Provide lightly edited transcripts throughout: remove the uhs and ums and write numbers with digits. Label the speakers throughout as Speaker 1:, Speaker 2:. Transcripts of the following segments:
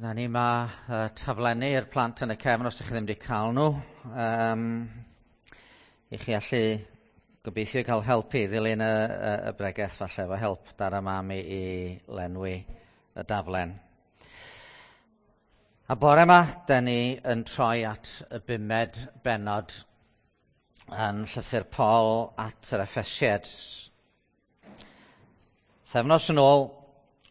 Speaker 1: Dyna ni, mae taflenni i'r plant yn y cefn os ydych chi ddim wedi cael nhw. I chi allu gobeithio cael helpu i ddilyn y bregeth falle efo help dad a mam i lenwi y daflen. A bore yma, da ni yn troi at y bumed bennod yn llythyr Paul at yr Effesiaid. Pythefnos yn ôl,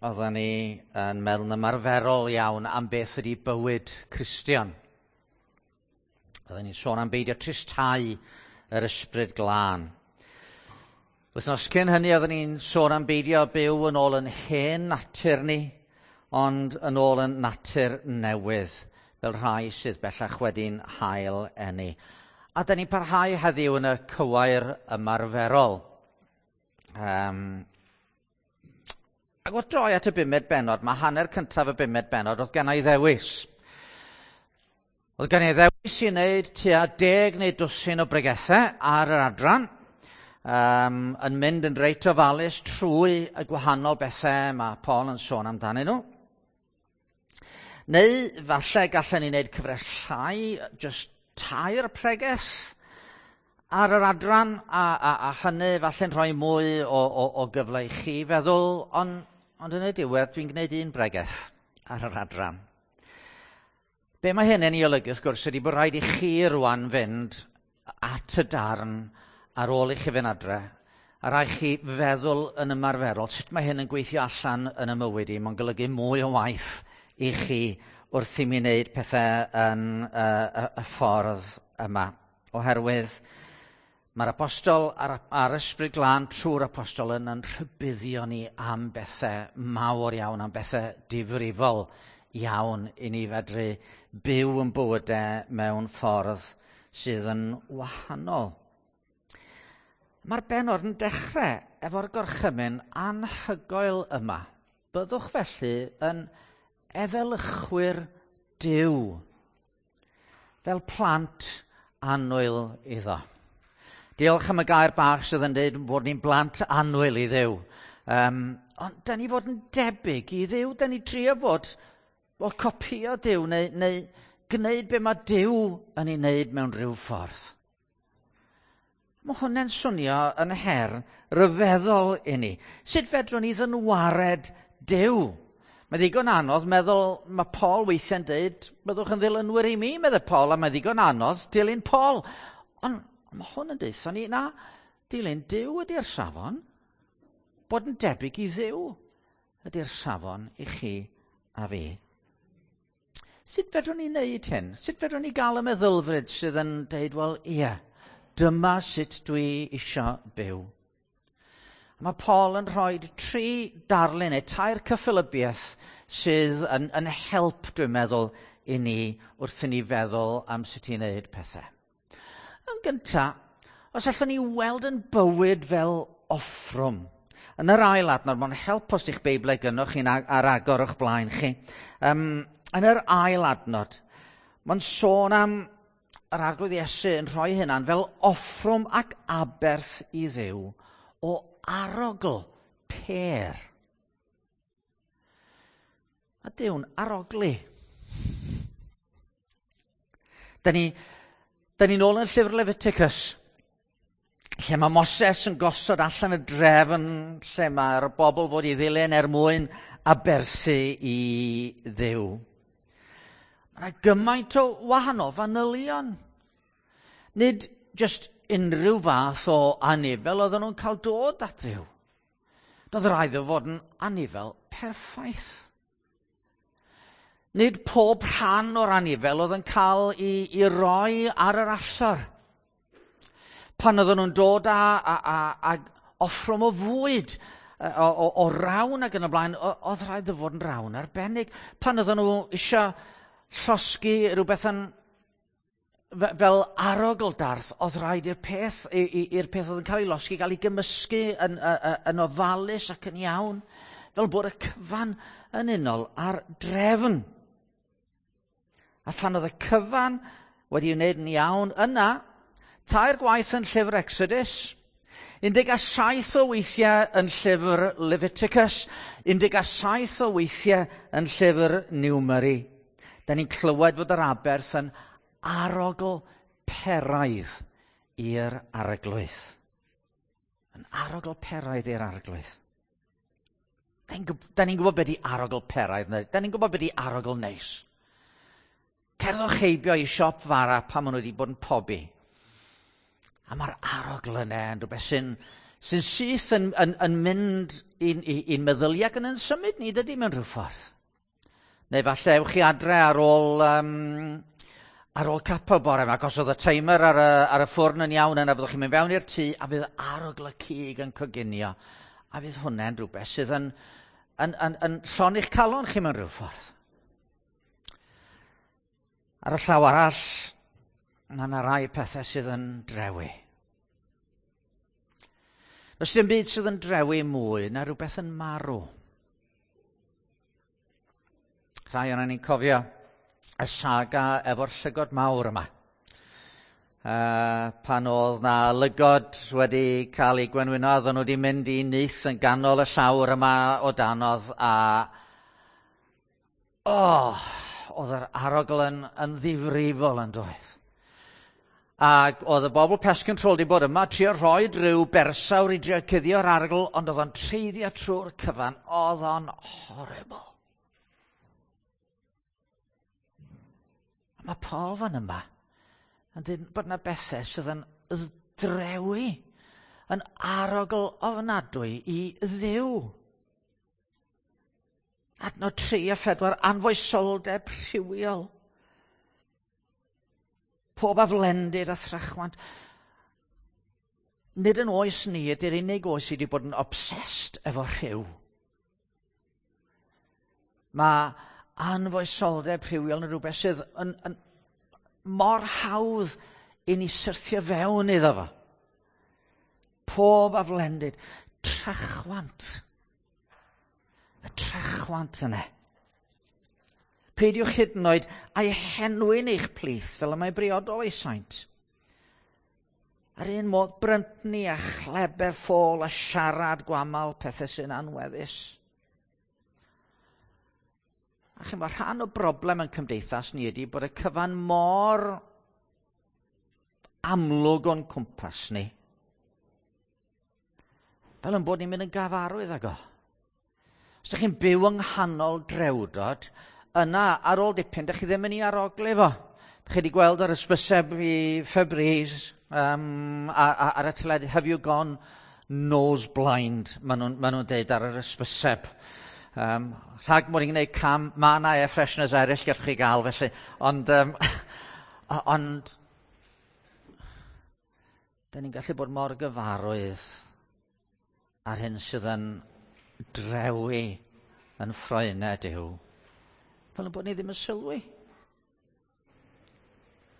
Speaker 1: oedden ni yn meddwl yn ymarferol iawn am beth ydy bywyd Cristion. Oedden ni'n sôn am beidio tristhau yr ysbryd glân. Wythnos cyn hynny, oedden ni'n sôn am beidio byw yn ôl yn hen natur ni, ond yn ôl yn natur newydd, fel rhai sydd bellach wedi'n hail eni. A da ni'n parhau heddiw yn y cywair ymarferol. Ac wrth droi at y bumed bennod, mae hanner cyntaf y bumed bennod oedd gen i ddewis. Oedd gen i ddewis i wneud tua 10 neu dwsin o bregethau ar yr adran, yn mynd yn reit ofalus trwy y gwahanol bethau mae Paul yn sôn amdanyn nhw. Neu falle gallen ni wneud cyfres llai, jyst 3 pregeth ar yr adran, a hynny falle'n rhoi mwy o gyfle i chi feddwl, ond yn y diwedd dwi'n gwneud un bregeth ar yr adran. Be mae hyn yn ei olygu, wrth gwrs, ydy bod rhaid i chi rwan fynd at y darn ar ôl i chi fynd adre, a rhaid chi feddwl yn ymarferol sut mae hyn yn gweithio allan yn y mywyd i. Mae'n golygu mwy o waith i chi wrth i mi wneud pethau yn y ffordd yma. Oherwydd mae'r apostol a'r ysbryd glân trwy'r apostol yn rhybuddio ni am bethau mawr iawn, am bethau difrifol iawn i ni fedru byw yn bywydau mewn ffordd sydd yn wahanol. Mae'r bennod yn dechrau efo'r gorchymyn anhygoel yma. Byddwch felly yn efelychwyr Duw, fel plant annwyl iddo. Diolch am y gair bach sydd yn dweud bod ni'n blant annwyl i Dduw. Ond da ni fod yn debyg i Dduw, da ni trio fod o copio Duw neu gwneud be mae Duw yn ei wneud mewn rhyw ffordd. Mae hwnna'n swnio yn her ryfeddol i ni. Sut fedrwn ni ddynwared Duw? Mae ddigon anodd meddwl, mae Paul weithiau'n dweud, byddwch yn ddilynwyr i mi, meddai Paul, a mae ddigon anodd dilyn Paul. Ond mae hwn yn deutha ni, na, dilyn Duw ydy'r safon. Bod yn debyg i Dduw ydy'r safon i chi a fi. Sut fedrwn ni wneud hyn? Sut fedrwn ni gael y meddylfryd sydd yn dweud, wel, ie, dyma sut dwi isio byw. Mae Paul yn rhoi 3 darlun neu 3 cyffelybiaeth sydd yn help, dwi'n meddwl, i ni wrth i ni feddwl am sut i wneud pethau. Yn gyntaf, os allwn ni weld yn bywyd fel offrwm. Yn yr ail adnod, mae'n help os ydych Beiblau gynnwch chi'n ar agor o'ch blaen chi. Yn yr ail adnod, mae'n sôn am yr Arglwydd Iesu yn rhoi hynna'n fel offrwm ac aberth i Dduw o arogl pêr. A Duw'n aroglu. Da ni nôl yn llyfr Leviticus, lle mae Moses yn gosod allan y drefn, lle mae'r bobl fod i ddilyn er mwyn aberthu i Dduw. Mae yna gymaint o wahanol fanylion. Nid jyst unrhyw fath o anifel oedden nhw'n cael dod at Dduw. Doedd rhaid iddo fod yn anifel perffaith. Nid pob rhan o'r anifel oedd yn cael i roi ar yr allor. Pan oedden nhw'n dod â offrwm o fwyd, o rawn ac yn y blaen, oedd rhaid iddo fod yn rawn arbennig. Pan oedden nhw eisiau llosgi rhywbeth yn fel arogl darth, oedd rhaid i'r peth oedd yn cael ei losgi gael ei gymysgu yn ofalus ac yn iawn, fel bod y cyfan yn unol ar drefn. A phan oedd y cyfan wedi wneud yn iawn, yna, 3 gwaith yn llyfr Exodus, 17 o weithiau yn llyfr Leviticus, 17 o weithiau yn llyfr Numeri. Da ni'n clywed fod yr aberth yn arogl peraidd i'r Arglwydd. Yn arogl peraidd i'r Arglwydd. Da ni'n gwybod beth di arogl peraidd, da ni'n gwybod beth di arogl neis. Cerddwch heibio i siop fara pan maen nhw wedi bod yn pobi. A mae'r arogl yna yn rhywbeth sy'n syth yn mynd i'n meddyliau ac yn symud ni, dydy, mewn rhyw ffordd. Neu falle ewch chi adre ar ôl capel bore yma, ac os oedd y timer ar y ffwrn yn iawn yna, fyddwch chi'n mynd fewn i'r tŷ a fydd arogl y cig yn coginio. A fydd hwnna'n rhywbeth sydd yn llonni'ch calon chi mewn rhyw ffordd. Ar y llaw arall, mae yna rai pethau sydd yn drewi. Does dim byd sydd yn drewi mwy na rhywbeth yn marw. Rhai o'n ni'n cofio y saga efo'r llygod mawr yma. Pan oedd na lygod wedi cael eu gwenwyno, oedden nhw wedi mynd i nyth yn ganol y llawr yma o danodd a, oh, oedd yr arogl yn ddifrifol yn doedd. Ac oedd y bobl pest control wedi bod yma, trio rhoi rhyw bersawr i drio cuddio'r arogl, ond oedd o'n treiddio trwy'r cyfan. Oedd o'n horrible. A mae Paul fan yma yn dweud bod yna bethau sydd yn drewi, yn arogl ofnadwy i Dduw. Adnod 3 a 4, anfoesoldeb rhywiol. Pob aflendid a thrachwant. Nid yn oes ni ydy'r unig oes sydd wedi bod yn obsessed efo rhyw. Mae anfoesoldeb rhywiol yn rhywbeth sydd yn mor hawdd i ni syrthio fewn iddo fo. Pob aflendid. Trachwant. Y trachwant yna. Peidiwch hyd yn oed a'i henwi'n eich plith fel y mae briodol ei saint. Ar un modd bryntni a chleber ffôl a siarad gwamal pethau sy'n anweddus. A chi'n bod, rhan o broblem yn cymdeithas ni ydy bod y cyfan mor amlwg o'n cwmpas ni. Fel yn bod ni'n mynd yn gyfarwydd ag o. Os ydych chi'n byw yng nghanol drewdod, yna ar ôl dipyn, ydych chi ddim yn ei aroglu fo. Ydych chi wedi gweld yr ysbyseb i Febreze ar y teledu, "Have you gone nose blind?" Maen nhw deud ar yr ysbyseb. Rhag mod i'n gwneud cam, mae yna air fresheners eraill gallwch chi gael felly. Ond da ni'n gallu bod mor gyfarwydd ar hyn sydd yn drewi yn ffroenau Duw. Fel yn bod ni ddim yn sylwi.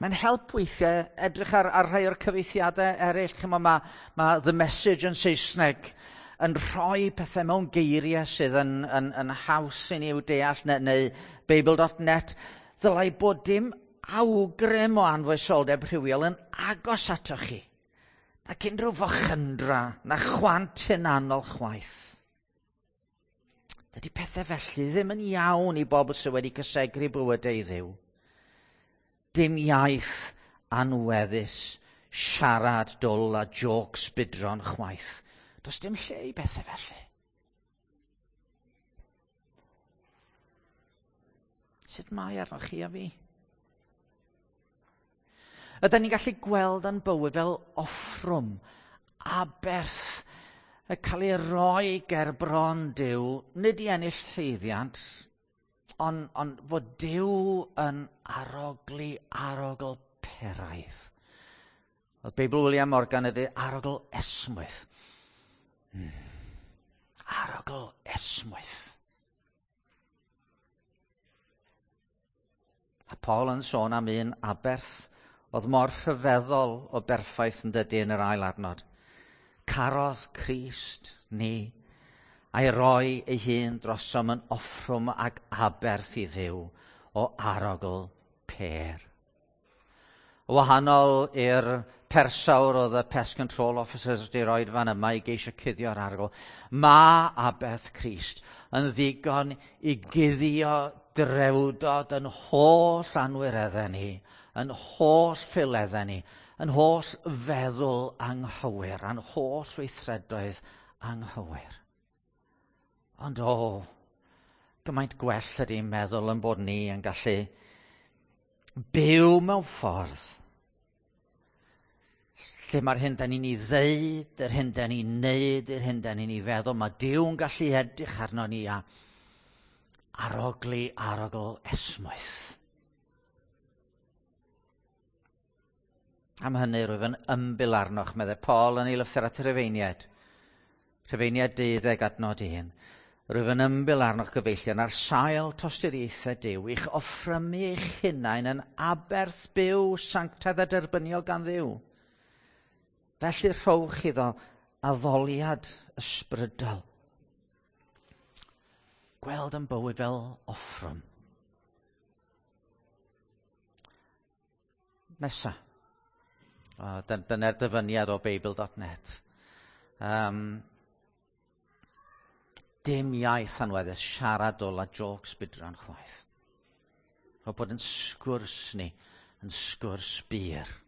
Speaker 1: Mae'n help weithiau edrych ar rhai o'r cyfieithiadau eraill. Chymod, mae The Message yn Saesneg yn rhoi pethau mewn geiriau sydd yn haws i ni i'w deall, neu Bible.net. Ddylai bod dim awgrym o anfoesoldeb rhywiol yn agos atoch chi. Ac unrhyw fochyndra, na chwant hunanol chwaith. Dydy pethau felly ddim yn iawn i bobl sydd wedi cysegru bywydau i Dduw. Dim iaith anweddus, siarad dwl a jokes budron chwaith. Does dim lle i bethau felly. Sut mae arnoch chi a fi? Ydyn ni'n gallu gweld yn bywyd fel offrwm, aberth, y cael ei roi ger bron Duw, nid i ennill haeddiant, ond fod Duw yn arogli arogl peraidd. Oedd Beibl William Morgan ydy arogl esmwyth. Arogl esmwyth. A Paul yn sôn am un aberth oedd mor rhyfeddol o berffaith yn dydy yn yr ail adnod. Carodd Crist ni a'i roi ei hun drosom yn offrwm ac aberth i Dduw o arogl pêr. O wahanol i'r persawr oedd y pest control officers wedi rhoi fan yma i geisio cuddio'r arogl. Mae aberth Crist yn ddigon i guddio drewdod yn holl anwireddau ni, yn holl ffileddau ni, yn holl feddwl anghywir, a'n holl weithredoedd anghywir. Ond o, gymaint gwell ydy meddwl yn bod ni yn gallu byw mewn ffordd lle mae'r hyn da ni'n ei ddeud, yr hyn da ni'n neud, yr hyn da ni'n ei feddwl, mae Duw'n gallu edrych arno ni a arogli arogl esmwyth. Am hynny rwyf yn ymbil arnoch, meddai Paul yn ei lythyr at y Rhufeiniaid. Rhufeiniaid 12 adnod 1. Rwyf yn ymbil arnoch gyfeillion ar sail tosturiaethau Duw i'ch offrymu eich hunain yn aberth byw sanctaidd a derbyniol gan Dduw. Felly rhowch iddo addoliad ysbrydol. Gweld yn bywyd fel offrwm. Nesa. Dyna'r dyfyniad o Beibl.net. Dim iaith anweddus, siaradol a jokes budran chwaith. O bod yn sgwrs ni, yn sgwrs bur.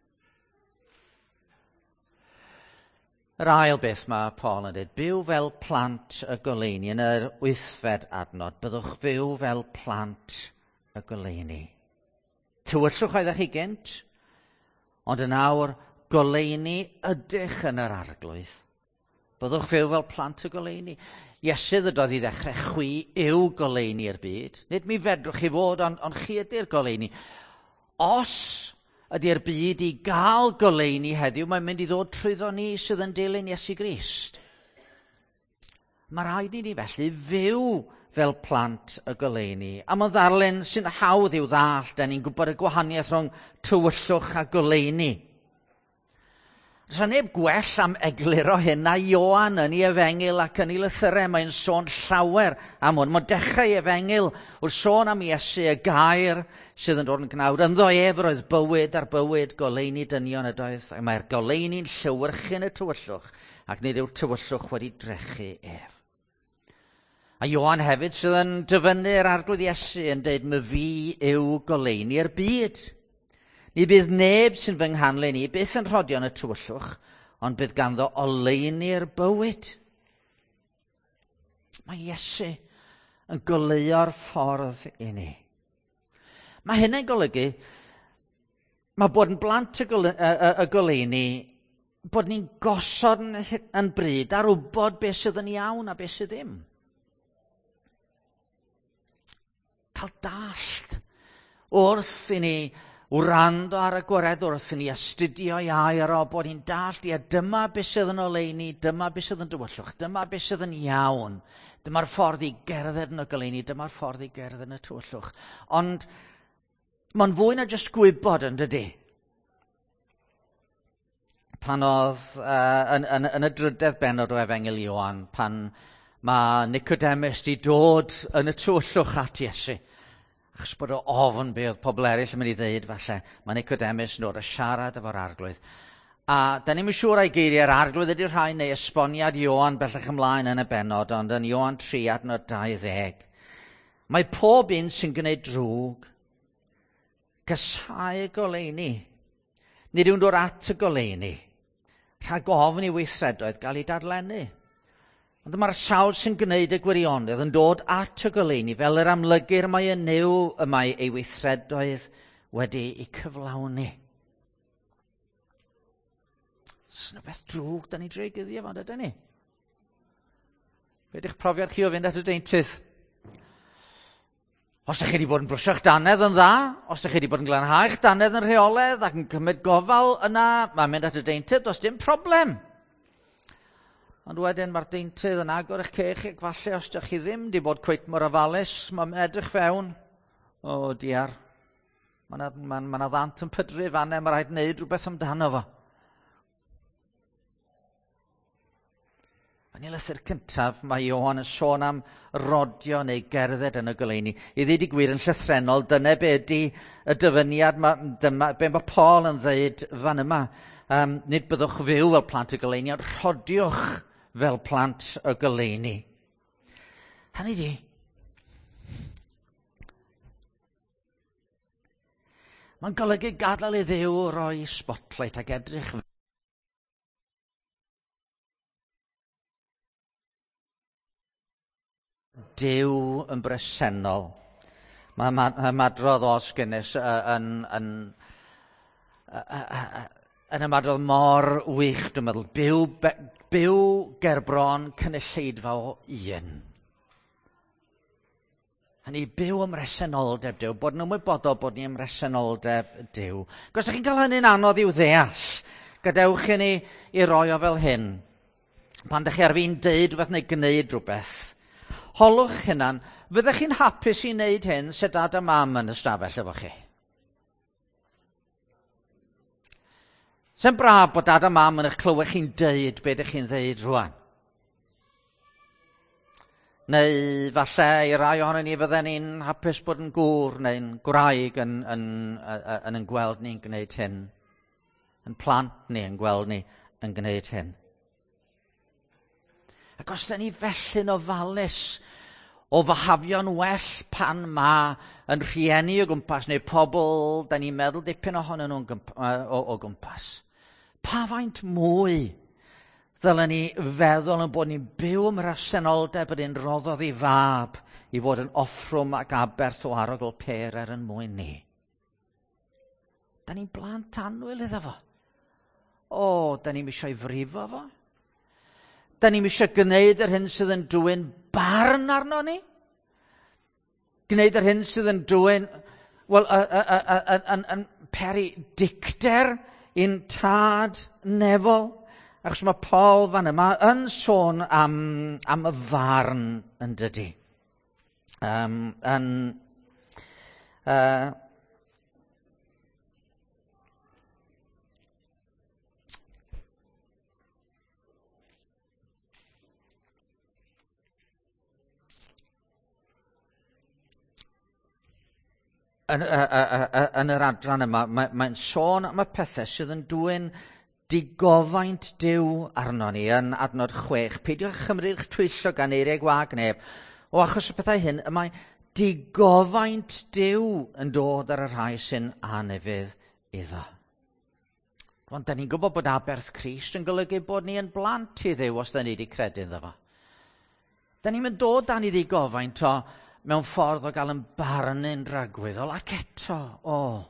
Speaker 1: Yr ail beth mae Paul yn dweud, byw fel plant y goleuni. Yn yr 8fed adnod, byddwch fyw fel plant y goleuni. Tywyllwch oeddech chi gynt, ond yn awr goleuni ydych yn yr arglwydd. Byddwch fyw fel plant y goleuni. Iesu ddydodd i ddechrau, chwi yw goleuni i'r byd. Nid mi fedrwch chi fod, ond chi ydy'r goleuni. Os ydy'r byd i gael goleuni heddiw, mae'n mynd i ddod trwyddo ni sydd yn dilyn Iesu Grist. Mae rhaid i ni felly fyw fel plant y goleuni. A mae'n ddarlun sy'n hawdd i'w ddallt, da ni'n gwybod y gwahaniaeth rhwng tywyllwch a goleuni. Does 'na neb gwell am egluro hyn na Ioan yn ei efengyl ac yn ei lythyrau. Mae'n sôn llawer am hwn. Mae'n dechrau ei efengyl wrth sôn am Iesu, y gair sydd yn dod yn gnawd. Ynddo ef yr oedd bywyd a'r bywyd goleuni dynion ydoedd. Ac mae'r goleuni'n llewyrchu yn y tywyllwch, ac nid yw'r tywyllwch wedi drechu ef. A Ioan hefyd sydd yn dyfynnu'r arglwydd Iesu yn dweud, "My fi yw goleuni'r byd. Ni bydd neb sy'n fy nghanlyn i byth yn rhodio yn y tywyllwch, ond bydd ganddo oleuni'r bywyd." Mae Iesu yn goleuo'r ffordd i ni. Mae hynny'n golygu, mae bod yn blant y goleuni, bod ni'n gosod yn bryd ar wybod beth sydd yn iawn a beth sydd ddim. Cael dallt wrth i ni wrando ar y gwaredwr, wrth i ni astudio ei air o, bod ni'n dallt, ia, dyma beth sydd yn oleuni, dyma beth sydd yn dywyllwch, dyma beth sydd yn iawn, dyma'r ffordd i gerdded yn y goleuni, dyma'r ffordd i gerdded yn y tywyllwch. Ond mae'n fwy na jyst gwybod, yn dydy? Pan oedd yn y drydedd bennod o Efengyl Ioan, pan mae Nicodemus di dod yn y tywyllwch at Iesu, achos bod o ofn be oedd pobl eraill yn mynd i ddeud falle, mae Nicodemus yn dod a siarad efo'r arglwydd. A da ni'm yn siŵr ai geiriau'r arglwydd ydy'r rhain neu esboniad Ioan bellach ymlaen yn y bennod, ond yn Ioan 3 adnod 20. Mae pob un sy'n gwneud drwg casáu goleuni. Nid yw'n dod at y goleuni, rhag ofn i weithredoedd gael ei darllennu. Ond mae'r sawl sy'n gwneud y gwirionedd yn dod at y goleuni fel yr amlygir mai yn Nuw y mae ei weithredoedd wedi eu cyflawni. Oes 'na beth drwg da ni'n drio guddio fo, ydyn ni? Be ydych profiad chi o fynd at y deintydd? Os ydych chi wedi bod yn brwsio'ch dannedd yn dda, os ydych chi wedi bod yn glanhau'ch dannedd yn rheolaidd ac yn cymryd gofal yna, mae'n mynd at y deintydd, does dim problem. Ond wedyn mae'r deintydd yn agor eich ceg chi, ac falle os ydych chi ddim wedi bod cweit mor ofalus, mae'n edrych fewn. O, diar. Mae yna ma ddant yn pydru fanne, mae rhaid wneud rhywbeth amdano fo. Yn ei lythyr cyntaf, mae Ioan yn sôn am rodio neu gerdded yn y goleuni. I ddweud y gwir yn llythrennol, dyna be ydy y dyfyniad, dyma be mae Paul yn dweud fan yma. Nid byddwch fyw fel plant y goleuni, ond rhodiwch fel plant y goleuni. Hynny di, mae'n golygu gadael i Dduw roi spotlight ac edrych Duw yn bresennol. Mae ymadrodd Os Guinness yn ymadrodd mor wych, dwi'n meddwl. Byw gerbron cynulleidfa o un. Hynny, byw ym mhresenoldeb Duw, bod yn ymwybodol bod ni ym mhresenoldeb Duw. Ac os ydych chi'n cael hynny'n anodd i'w ddeall, gadewch i ni i roi o fel hyn. Pan ydych chi ar fin deud rhywbeth neu gwneud rhywbeth, holwch hunan, fyddech chi'n hapus i wneud hyn se dad a mam yn ystafell efo chi? Se'n braf bod dad a mam yn eich clywed chi'n deud be ydych chi'n ddeud rwan? Neu falle i rai ohonon ni fydden ni'n hapus bod yn gŵr neu'n gwraig yn gweld ni'n gwneud hyn. Yn plant ni yn gweld ni yn gwneud hyn. Ac os da ni felly'n ofalus o fahafio'n well pan ma yn rhieni o gwmpas neu pobl da ni'n meddwl dipyn ohonyn nhw'n o gwmpas, pa faint mwy ddylen ni feddwl yn bod ni'n byw ym mhresenoldeb yr un roddodd ei fab i fod yn offrwm ac aberth o arogl pêr er yn mwyn ni. Da ni'n blant annwyl iddo fo. O, da ni'n eisiau frifo fo. Da ni'n eisiau gwneud yr hyn sydd yn dwyn barn arno ni. Gwneud yr hyn sydd yn dwyn, wel, yn peri dicter i'n tad nefol. Achos mae Paul fan yma yn sôn am y farn yn dydi. Yn yr adran yma, mae'n sôn am y pethau sydd yn dwyn digofaint Duw arno ni yn adnod 6. Peidiwch â chymryd eich twyllo gan eiriau gwag neb. O achos y pethau hyn, y mae digofaint Duw yn dod ar y rhai sy'n anufudd iddo. Ond da ni'n gwybod bod aberth Crist yn golygu bod ni yn blant i Dduw os da ni wedi credu ynddo fo. Da ni'n mynd dod dan i ddigofaint o mewn ffordd o gael yn barnu'n dragwyddol ac eto, o.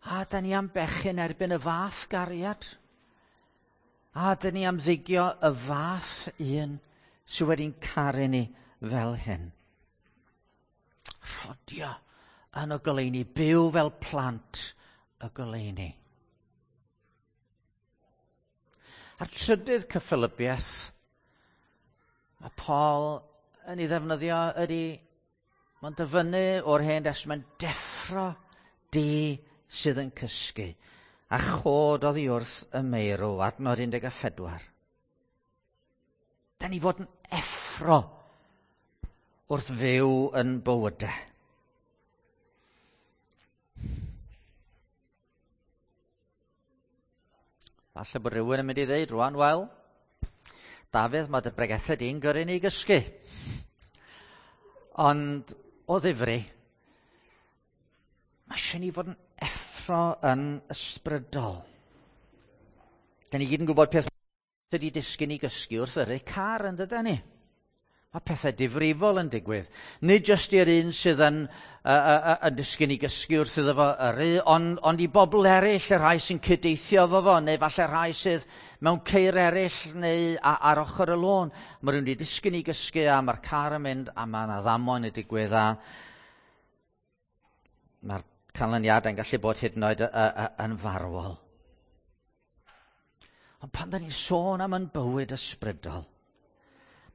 Speaker 1: A da ni am bechu'n erbyn y fath gariad. A da ni am ddigio y fath un sydd wedi'n caru ni fel hyn. Rhodio yn y goleuni, byw fel plant y goleuni. A'r trydydd cyffelybiaeth mae Paul yn ei ddefnyddio ydy, mae'n dyfynnu o'r Hen Destament, deffro di sydd yn cysgu, a chod oddi wrth y meirw, adnod 14. Da ni fod yn effro wrth fyw yn bywydau. Falle bod rhywun yn mynd i ddeud rwan, wel, Dafydd, mae dy bregethau di'n gyrru ni gysgu. Ond o ddifri, mae eisiau ni fod yn effro yn ysbrydol. Da ni gyd yn gwybod peth ydy disgyn i gysgu wrth yrru car yn dydan ni. Mae pethau difrifol yn digwydd. Nid jyst i'r un sydd yn disgyn i gysgu wrth iddo fo yrru, ond i bobl eraill, y rhai sy'n cydeithio efo fo, neu falle rhai sydd mewn ceir eraill neu ar ochr y lôn. Mae rhywun wedi disgyn i gysgu a mae'r car yn mynd a mae yna ddamwain yn digwydd a mae'r canlyniadau'n gallu bod hyd yn oed yn farwol. Ond pan da ni'n sôn am yn bywyd ysbrydol,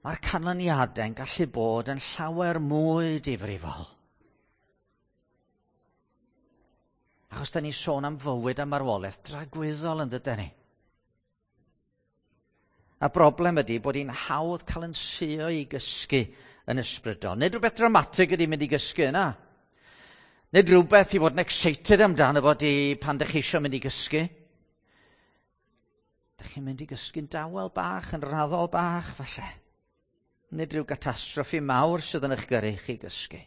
Speaker 1: mae'r canlyniadau'n gallu bod yn llawer mwy difrifol. Achos da ni'n sôn am fywyd a marwolaeth dragwyddol yn dyden ni. A broblem ydy bod hi'n hawdd cael yn suo i gysgu yn ysbrydol. Nid rhywbeth dramatig ydy mynd i gysgu yna. Nid rhywbeth i fod yn excited amdano fo di pan dych chi eisiau mynd i gysgu. Dych chi'n mynd i gysgu'n dawel bach, yn raddol bach, falle. Nid rhyw gatastroffi mawr sydd yn eich gyrru chi gysgu.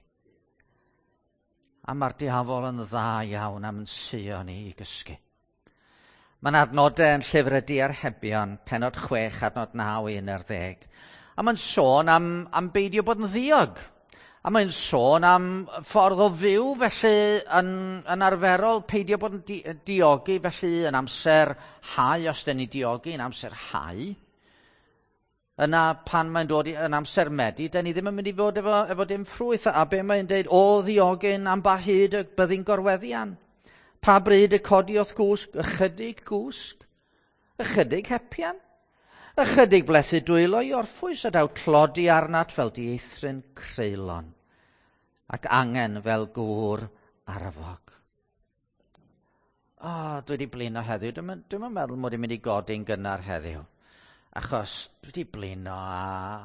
Speaker 1: A mae'r diafol yn dda iawn am yn suo ni i gysgu. Mae'n adnodau yn llyfr y Diarhebion, penod 6, adnod 9 i 11. A mae'n sôn am, am beidio bod yn ddiog. A mae'n sôn am ffordd o fyw, felly yn, yn arferol peidio bod yn di, diogi, felly yn amser hau, os dyn ni diogi yn amser hau. Yna pan mae'n dod i, yn amser medi, dyn ni ddim yn mynd i fod efo, efo dim ffrwyth. A be mae'n deud, o ddiogyn am ba hyd y byddi'n gorweddian. Pa bryd y codi o'th gwsg? Ychydig gwsg. Ychydig hepian. Ychydig blethu dwylo i orffwys a daw tlodi arnat fel dieithryn creulon ac angen fel gŵr arfog. O, oh, dwi wedi blino heddiw. Dwi'n dwi meddwl mod i'n mynd i godi'n gynnar heddiw. Achos dwi wedi blino a...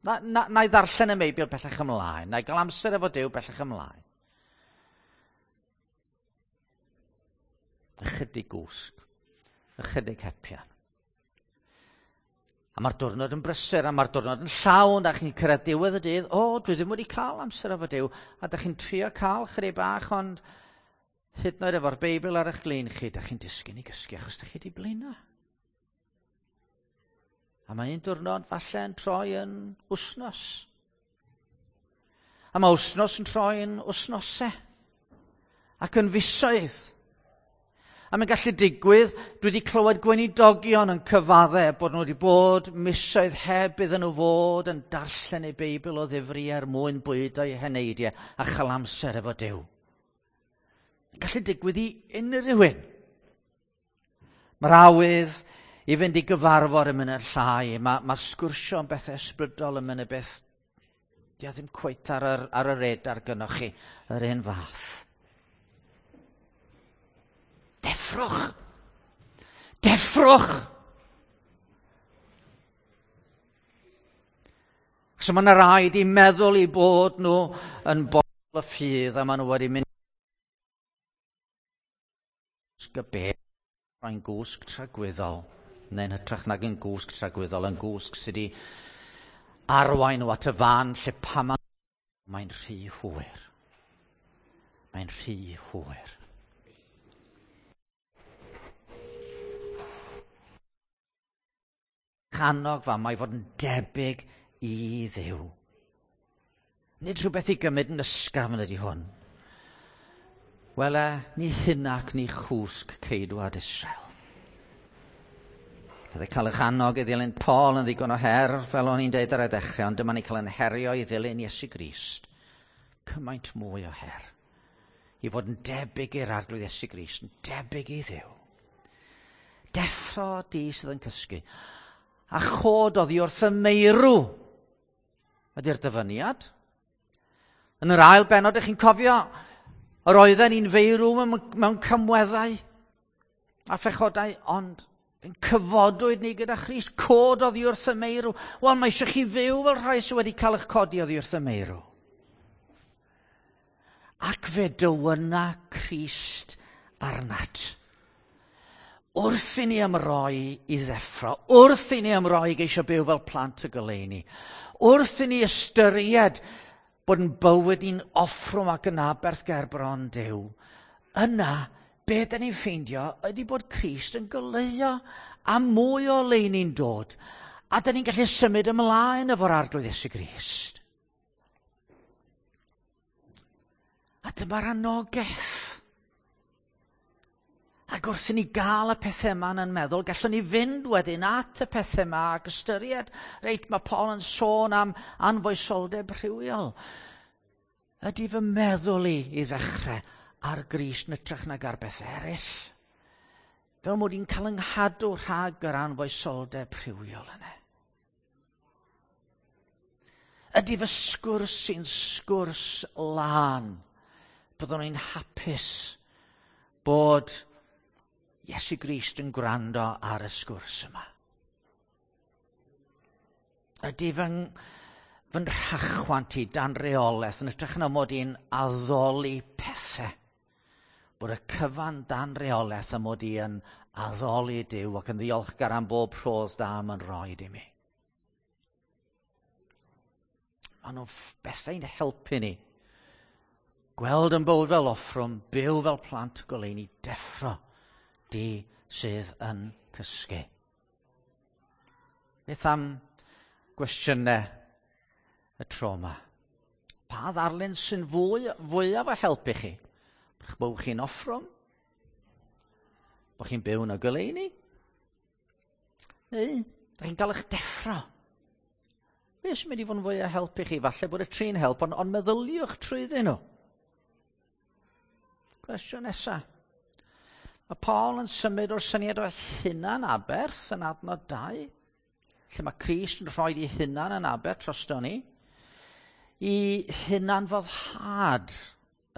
Speaker 1: na, na, na i ddarllen y Meibl bellach ymlaen. Na i gael amser efo Duw bellach ymlaen. Ychydig gwsg. Ychydig hepian. A mae'r diwrnod yn brysur, a mae'r diwrnod yn llawn, a chi'n cyrraedd diwedd y dydd, o, dwi ddim wedi cael amser efo Duw, a da chi'n trio cael chydig bach, ond hyd yn oed efo'r Beibl ar eich glin chi, da chi'n disgyn i gysgu achos da chi wedi blino. A mae un diwrnod falle yn troi yn wsnos. A mae wsnos yn troi yn wsnosau. Ac yn fisoedd. A mae'n gallu digwydd, dwi wedi clywed gweinidogion yn cyfadde bod nhw wedi bod misoedd heb iddyn nhw fod yn darllen eu Beibl o ddifri er mwyn bwydo eu heneidiau a chael amser efo Duw. Mae'n gallu digwydd i unrhyw un. Mae'r awydd i fynd i gyfarfod yn mynd yn llai. Mae, mae sgwrsio am bethau ysbrydol yn mynd yn beth Di ddim cweit ar yr, ar y radar gynnoch chi yr un fath. Deffrwch! Deffrwch! So mae yna rai di meddwl i bod nhw yn bobl y ffydd a maen nhw wedi mynd y beth mae'n gwsg tragwyddol, neu'n hytrach nag yn gwsg tragwyddol, yn gwsg sydd wedi arwain nhw at y fan lle pam mae'n rhy hwyr. Mae'n rhy hwyr. Annog fa, mae fod yn debyg i Dduw. Nid rhywbeth i gymryd yn ysgafn ydy hwn. Wele, ni hunac ni chwsg ceidwad Israel. Bydde cael eich annog i ddilyn Paul yn ddigon o her, fel o'n i'n deud ar y dechrau, ond dyma ni cael yn herio i ddilyn Iesu Grist. Cymaint mwy o her. I fod yn debyg i'r Arglwydd Iesu Grist, yn debyg i Dduw. Deffro di sydd yn cysgu. A chod oddi wrth y meirw. Ydy'r dyfyniad. Yn yr ail bennod, ych chi'n cofio, yr oedden ni'n feirw mewn camweddau a phechodau, ond yn cyfodwyd ni gyda Christ, cod oddi wrth y meirw. Wel, mae eisiau chi fyw fel rhai sydd wedi cael eich codi oddi wrth y meirw. Ac fe dywyna Crist arnat. Wrth i ni ymroi i ddeffro, wrth i ni ymroi i geisio byw fel plant y goleuni, wrth i ni ystyried bod yn bywyd ni'n offrwm ac yn aberth ger bron Duw, yna, be da ni'n ffeindio ydy bod Crist yn goleuo a mwy o oleuni'n dod, a da ni'n gallu symud ymlaen efo'r Arglwydd Iesu Grist. A dyma'r anogaeth. Ac wrth i ni gael y pethau yma yn meddwl, gallwn ni fynd wedyn at y pethau yma ac ystyried, reit, mae Paul yn sôn am anfoesoldeb rhywiol. Ydy fy meddwl i i ddechrau ar Grist yn hytrach nag ar beth eraill? Fel mod i'n cael 'nghadw rhag yr anfoesoldeb rhywiol yna. Ydy fy sgwrs i'n sgwrs lân? Byddwn i'n hapus bod Iesu Grist yn gwrando ar y sgwrs yma. Ydy fy, fy rhachwant i dan reolaeth yn hytrach na mod i'n addoli pethau. Bod y cyfan dan reolaeth a mod i yn addoli Duw ac yn ddiolchgar am bob rhodd da mae'n rhoi i mi. Maen nhw'n bethau'n helpu ni. Gweld yn bywyd fel offrwm, byw fel plant goleuni, deffro di sydd yn cysgu. Beth am gwestiynau y tro yma? Pa ddarlun sy'n fwy, fwyaf o helpu chi? Bod chi'n offrwm? Bod chi'n byw yn y goleuni? Neu, da chi'n cael eich deffro? Be sy'n mynd i fod yn fwy o helpu chi? Falle bod y tri'n help, ond, ond meddyliwch trwyddyn nhw. Cwestiwn nesaf. Mae Paul yn symud o'r syniad o hunan aberth yn adnod 2, lle mae Crist yn rhoi ei hunan yn aberth drosto ni, i hunan foddhad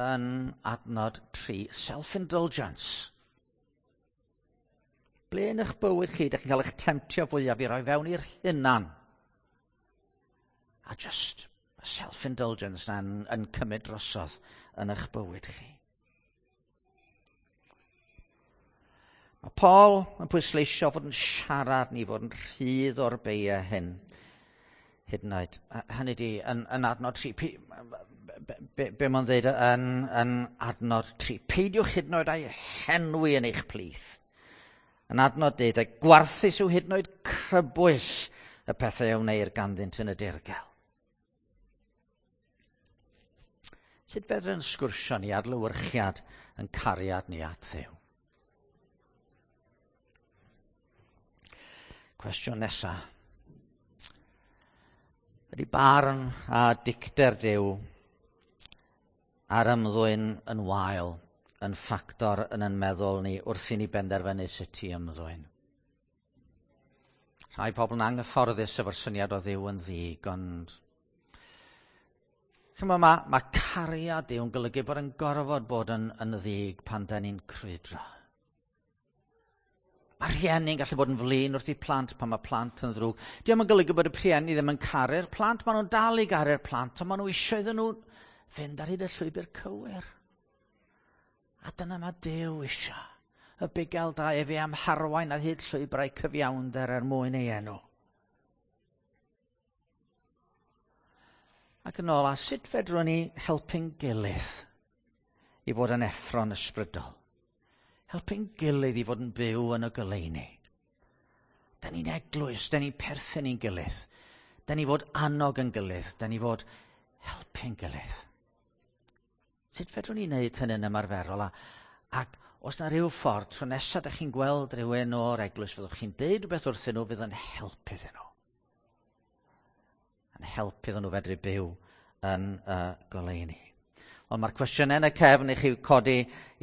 Speaker 1: yn adnod 3, self-indulgence. Ble yn eich bywyd chi, ydych chi'n cael eich temtio fwyaf i roi fewn i'r hunan? A just self-indulgence na'n yn cymryd drosodd yn eich bywyd chi. Mae Paul yn pwysleisio fod yn siarad ni fod yn rhydd o'r beiau hyn. Hyd yn oed. Hynny di, yn, yn adnod 3, be, be, be mae'n dweud yn, yn adnod 3, peidiwch hyd yn oed â'i henwi yn eich plith. Yn adnod 12, gwarthus yw hyd yn oed crybwyll y pethau a wneir ganddynt yn y dirgel. Sut fedrwn sgwrsio ni adlewyrchiad yn cariad ni at Dduw? Cwestiwn nesaf. Ydy barn a dicter Duw a'r ymddwyn yn wael yn ffactor yn yn meddwl ni wrth i ni benderfynu sut i ymddwyn? Rhai pobl yn anghyfforddus efo'r syniad o Dduw yn ddig, ond chymod, mae, mae cariad Duw yn golygu bod yn gorfod bod yn, yn ddig pan da ni'n crwydro. Mae rhieni'n gallu bod yn flin wrth i plant pan mae plant yn ddrwg. Dio'm yn golygu bod y rhieni ddim yn caru'r plant, maen nhw'n dal i garu'r plant, ond maen nhw eisiau iddyn nhw fynd ar hyd y llwybr cywir. A dyna mae Duw eisiau. Y bugail da efe am harwain ar hyd llwybrau cyfiawnder er mwyn ei enw. Ac yn ola, sut fedrwn ni helpu'n gilydd i fod yn effro'n ysbrydol? Helpu'n gilydd i fod yn byw yn y goleuni. Da ni'n eglwys, da ni'n perthyn i'n gilydd. Da ni fod annog yn gilydd, da ni fod helpu'n gilydd. Sut fedrwn ni wneud hynny'n ymarferol? A, ac os na rhyw ffordd, tro nesaf ydych chi'n gweld rhywun o'r eglwys, fyddwch chi'n deud rhywbeth wrthyn nhw fydd yn helpu iddyn nhw. Yn helpu iddyn nhw fedru byw yn y goleuni. Ond mae'r cwestiynau yn y cefn i chi codi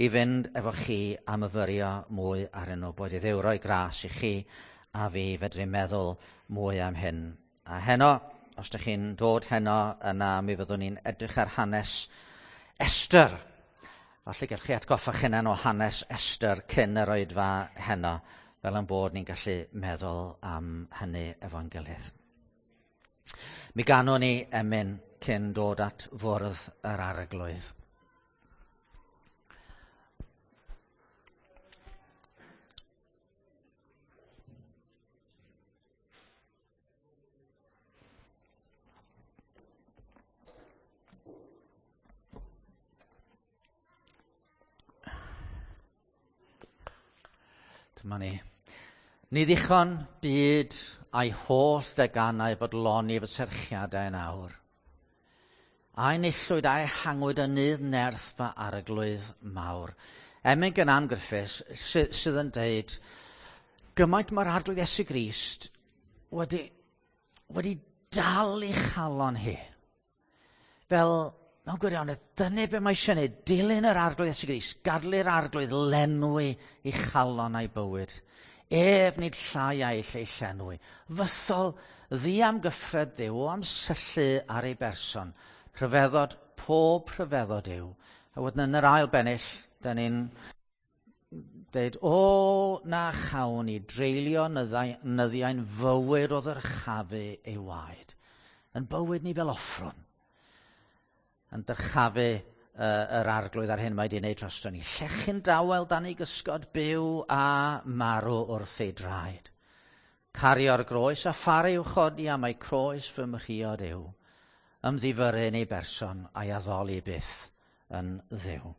Speaker 1: i fynd efo chi a myfyrio mwy arnyn nhw. Boed i Dduw roi gras i chi a fi fedru meddwl mwy am hyn. A heno, os ydych chi'n dod heno, yna mi fyddwn ni'n edrych ar hanes Esther. Falle gallwch chi atgoffa chi'ch hunan o hanes Esther cyn yr oedfa heno, fel yn bod ni'n gallu meddwl am hynny efo'n gilydd. Mi ganwn ni emyn cyn dod at fwrdd yr Arglwydd. Dyma ni. Ni ddichon byd a'i holl deganau bodloni fy serchiadau yn awr. A'i nillwyd a'i hangwyd yn nydd nerth fy arglwydd mawr. Emyn gan Ann Griffiths sydd yn deud, gymaint mae'r Arglwydd Iesu Grist wedi, wedi dal i chalon hi. Fel, mewn gwirionedd, dyna be mae eisiau gwneud, dilyn yr Arglwydd Iesu Grist, gadlu'r Arglwydd lenwi i chalon a'i bywyd. Ef nid llai a'i lle llenwi. Fythol ddiamgyffred Dduw o am syllu ar ei berson. Rhyfeddod, pob rhyfeddod yw. A wedyn yn yr ail bennill, da ni'n deud, o na chawn i dreulio nyddiau'n fywyd o ddyrchafu ei waed. Yn bywyd ni fel offrwm. Yn dyrchafu yr Arglwydd ar hyn mae wedi wneud drosto ni. Llechyn dawel dan ei gysgod, byw a marw wrth ei draed. Cario'r groes a pharu i'w chodi am ei croes fy mhriod yw. Ymddifyrru yn ei berson a'i addoli byth yn Dduw.